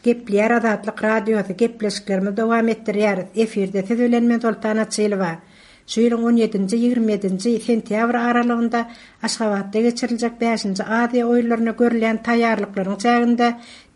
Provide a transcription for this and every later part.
Gepleýär Azatlyk Radiosy, gepleşiklerimizi dowam etdirýäris. Efirde siz bilen men Soltan Açylowa. Şu ýylyň on ýedinji, 27-nji sentýabr aralygynda Aşgabatda geçiriljek bäşinji Aziýa oýunlaryna görülýän taýýarlyklaryň çäginde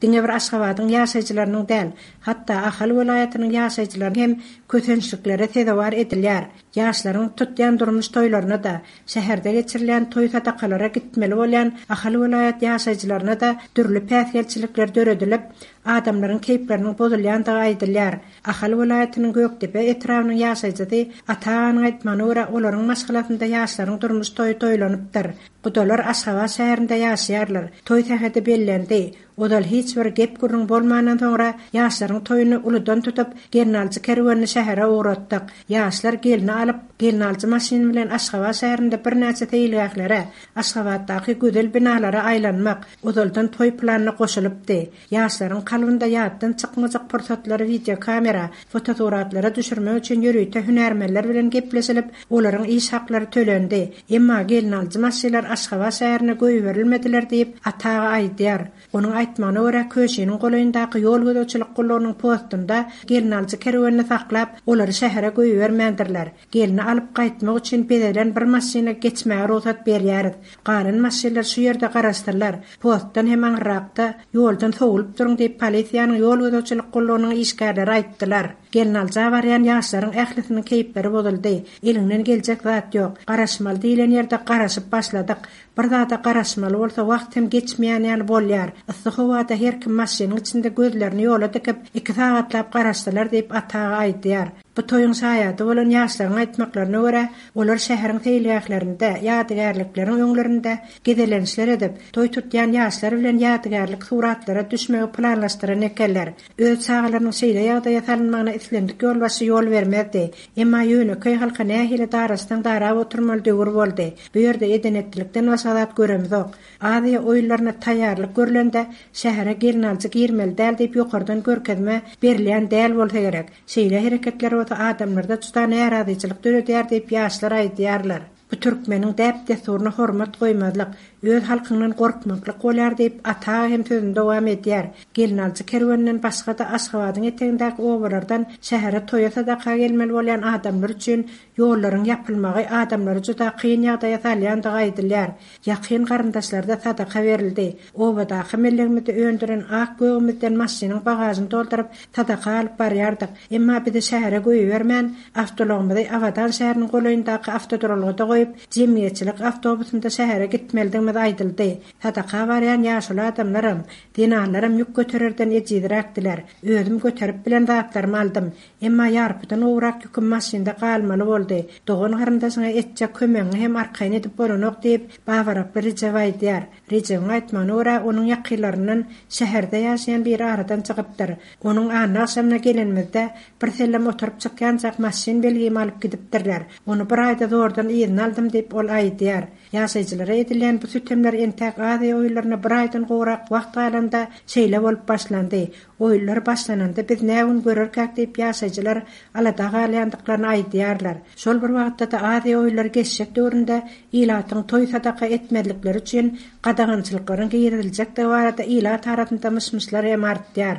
diňe bir Aşgabadyň ýaşaýjylarynyň däl, hatda Ahal welaýatynyň ýaşaýjylary hem kösençliklere sezewar edilýär. Ýaşlaryň tutýan durmuş toýlaryna-da, şäherde geçirilýän toý-sadakalara gitmeli bolýan Ahal welaýat ýaşaýjylaryna-da dürli päsgelçilikler döredilip, adamlaryň keýpleriniň bozulýandygy aýdylýar. Ahal welaýatynyň Gökdepe etrabynyň ýaşaýjysy Ata aganyň aýtmagyna görä, olaryň maşgalasynda ýaşlaryň durmuş toýy toýlanypdyr. Gudalar Aşgabat şäherinde ýaşaýarlar. Toý sähedi bellendi. Ozal hiç bir gep-gürrüň bolmandan soňra ýaşlaryň toýuny uludan tutup, gelnaljy kerwenini şähere ugratdyk. Ýaşlar gelni alyp, gelnaljy maşyny bilen Aşgabat şäherinde birnäçe seýilgählere, Aşgabatdaky gözel binalara aýlanmak, ozaldan toý planyna goşulypdy. Ýaşlaryň kalbynda ýatdan çykmajak pursatlary wideokamera, fotosuratlara düşürmek üçin ýörite hünärmenler bilen gepleşilip, olaryň iş haklary tölendi. Emma gelnaljy maşylar Aşgabat şäherine goýberilmediler diýip, Ata aga aýdýar. Onuň aýtmagyna görä, Köşiniň golaýyndaky ýol gözegçilik gullugynyň postunda gelnaljy kerwenini saklap, olary şähere goýbermändirler. Gelni alyp gaýtmak üçin bezelen bir maşyna geçmäge rugsat berýäris. Galan maşynlar şu ýerde garaşsynlar. Postdan hem aňyrrakda, ýoldan sowulyp duruň diýip, polisiýanyň ýol gözegçilik gullugynyň işgärleri aýtdylar. Gelnalja barýan ýaşlaryň ählisiniň keýpleri bozuldy. Eliňden geljek zat ýok. Garaşmaly diýlen ýerde garaşyp başladyk. Bir zada garaşmaly bolsa wagt hem geçmeýän ýaly bolýar. Yssy howada her kim maşynyň içinde gözlerini ýola dikip, iki sagatlap garaşdylar diýip, Ata aga aýdýar. Bu toýuň şaýady bolan ýaşlaryň aýtmaklaryna görä, olar şäheriň seýilgählerinde, ýadygärlikleriň öňlerinde gezelençler edip, toý tutýan ýaşlar bilen ýadygärlik suratlara düşmegi planlaşdyran ekenler. Öz çagalarynyň şeýle ýagdaýa salynmagyna islendik ýolbaşçy ýol bermezdi. Emma ýönekeý halka nähili daraşsaň darap oturmaly döwür boldy. Bu ýerde eden-etdilikden başga zat göremzok. Aziýa oýunlaryna taýýarlyk görlende, şähere gelnaljy girmeli däl diýip ýokardan görkezme berilýän däl bolsa gerek. Şeýle hereketler bolsa adamlarda juda närazyçylyk döredýär diýip ýaşlar aýdýarlar. Bu türkmeniň däp-dessuryna hormat goýmazlyk, öz halkyňdan gorkmaklyk bolýar diýip, Ata aga hem sözüni dowam edýär. Gelnaljy kerweninden başga-da Aşgabadyň etegindäki obalardan şähere toýa-sadaka gelmeli bolýan adamlar üçin ýollaryň ýapylmagy adamlary juda kyn ýagdaýa salýandygy aýdylýar. Ýakyn garyndaşlarda sadaka berildi. Obadaky mellegimizde öndüren ak-gögümizden maşynyň bagažyny dolduryp, sadaka alyp barýardyk. Emma bizi şähere goýbermän, awtoulagymyzy Abadan şäheriniň golaýyndaky awtoduralgada goýup, jemgyýetçilik awtobusynda şähere gitmelidigimiz aýdyldy. Sadaka barýan ýaşuly adamlaram, zenanlaram ýük götererden ejizräkdiler. Özüm göterip bilen zatlarymy aldym. Emma ýarpydan gowrak ýüküm maşynda galmaly boldy. Dogan-garyndaşyňa etjek kömegiňi hem arkaýyn edip bolanok diýip, Babaraply Rejep aýdýar. Rejebiň aýtmagyna görä, onuň ýakynlaryndan şäherde ýaşaýan biri aradan çykypdyr. Onuň anna agşamyna gelenimizde, birsellem oturyp çykýançak maşyn belgimi alyp gidipdirler. Ony bir aýda zordan yzyna aldym diýip, ol aýdýar. Ýaşaýjylara edilýän bu sütemler entäk Aziýa oýunlaryna bir aýdan gowrak wagt galanda şeýle bolup başlandy. Oýunlar başlananda biz nä gün görerkäk diýip ýaşaýjylar alada galýandyklaryny aýdýarlar. Şol bir wagtda-da Aziýa oýunlary geçjek döwründe ilatyň toý-sadaka etmezlikleri üçin gadagançylyklaryň giriziljekdigi barada ilat arasynda myş-myşlar hem artýar.